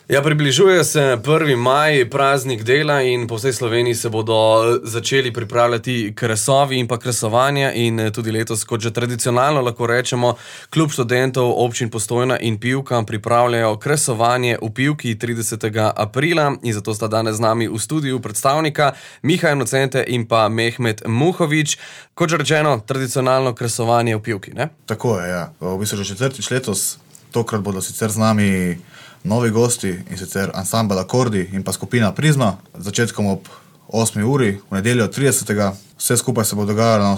Ja, približuje se 1. maj, praznik dela in po vsej Sloveniji se bodo začeli pripravljati kresovi in pa kresovanja in tudi letos, kot že tradicionalno lahko rečemo, Klub študentov občin Postojna in Pivka pripravljajo kresovanje v Pivki 30. aprila in zato sta danes z nami v studiu predstavnika Miha Inocente in pa Mehmet Muhovič. Kot že rečeno, tradicionalno kresovanje v Pivki, ne? Tako je, ja. V bistvu že četrtič letos, tokrat bodo sicer z nami novi gosti in sicer ansambel Akordi in pa skupina Prizma. Začetkom ob 8. uri, v nedeljo 30. Vse skupaj se bo dogajalo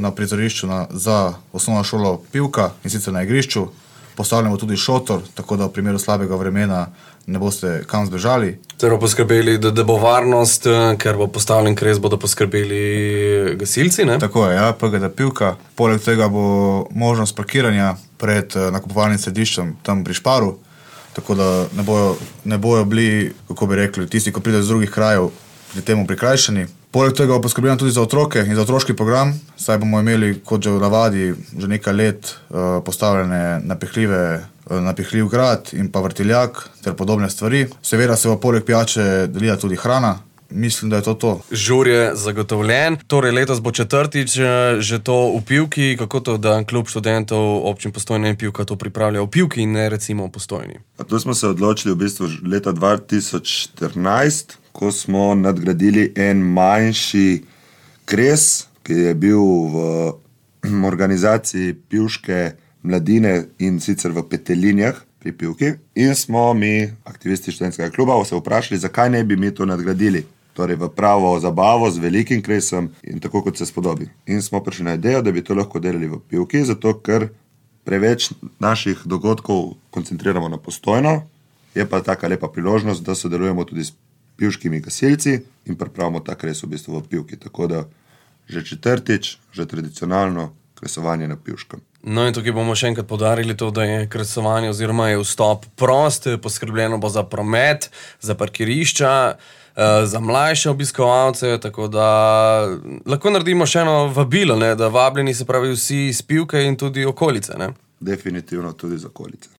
na prizorišču za osnovno šolo Pivka in sicer na igrišču. Postavljamo tudi šotor, tako da v primeru slabega vremena ne boste kam zbežali. Torej poskrbeli, da bo varnost, ker bo postavljen kres, bodo poskrbeli gasilci, ne? Tako je, ja, PGD Pivka. Poleg tega bo možnost parkiranja pred nakupovalnim središčem tam pri Šparu, tako da ne bojo bili, kako bi rekli, tisti, ko pridejo z drugih krajev, pri temu prikrajšani. Poleg tega bo poskrbljeno tudi za otroke in za otroški program, saj bomo imeli, kot že v navadi, že nekaj let postavljene napihljiv grad in pa vrtiljak ter podobne stvari. Seveda se bo poleg pijače delila tudi hrana. Mislim, da je to. Žur je zagotovljen. Torej letos bo četrtič že to v Pivki. Kako to, da Klub študentov občin Postojna in Pivka to pripravlja v Pivki in ne recimo v Postojni? Tu smo se odločili v bistvu leta 2014, ko smo nadgradili en manjši kres, ki je bil v organizaciji pivške mladine in sicer v Petelinjah pri Pivki. In smo mi, aktivisti študentskega kluba, se vprašali, zakaj ne bi mi to nadgradili. Torej v pravo zabavo z velikim kresom in tako, kot se spodobi. In smo prišli na idejo, da bi to lahko delali v Pivki, zato ker preveč naših dogodkov koncentriramo na Postojno. Je pa taka lepa priložnost, da sodelujemo tudi s pivškimi gasilci in pripravimo ta kres v bistvu v Pivki. Tako da že četrtič, že tradicionalno kresovanje na Pivškem. No in tukaj bomo še enkrat poudarili to, da je kresovanje oziroma je vstop prost, poskrbljeno bo za promet, za parkirišča, za mlajše obiskovalce, tako da lahko naredimo še eno vabilo, ne, da vabljeni se pravi vsi iz Pivke in tudi okolice, ne? Definitivno tudi z okolice.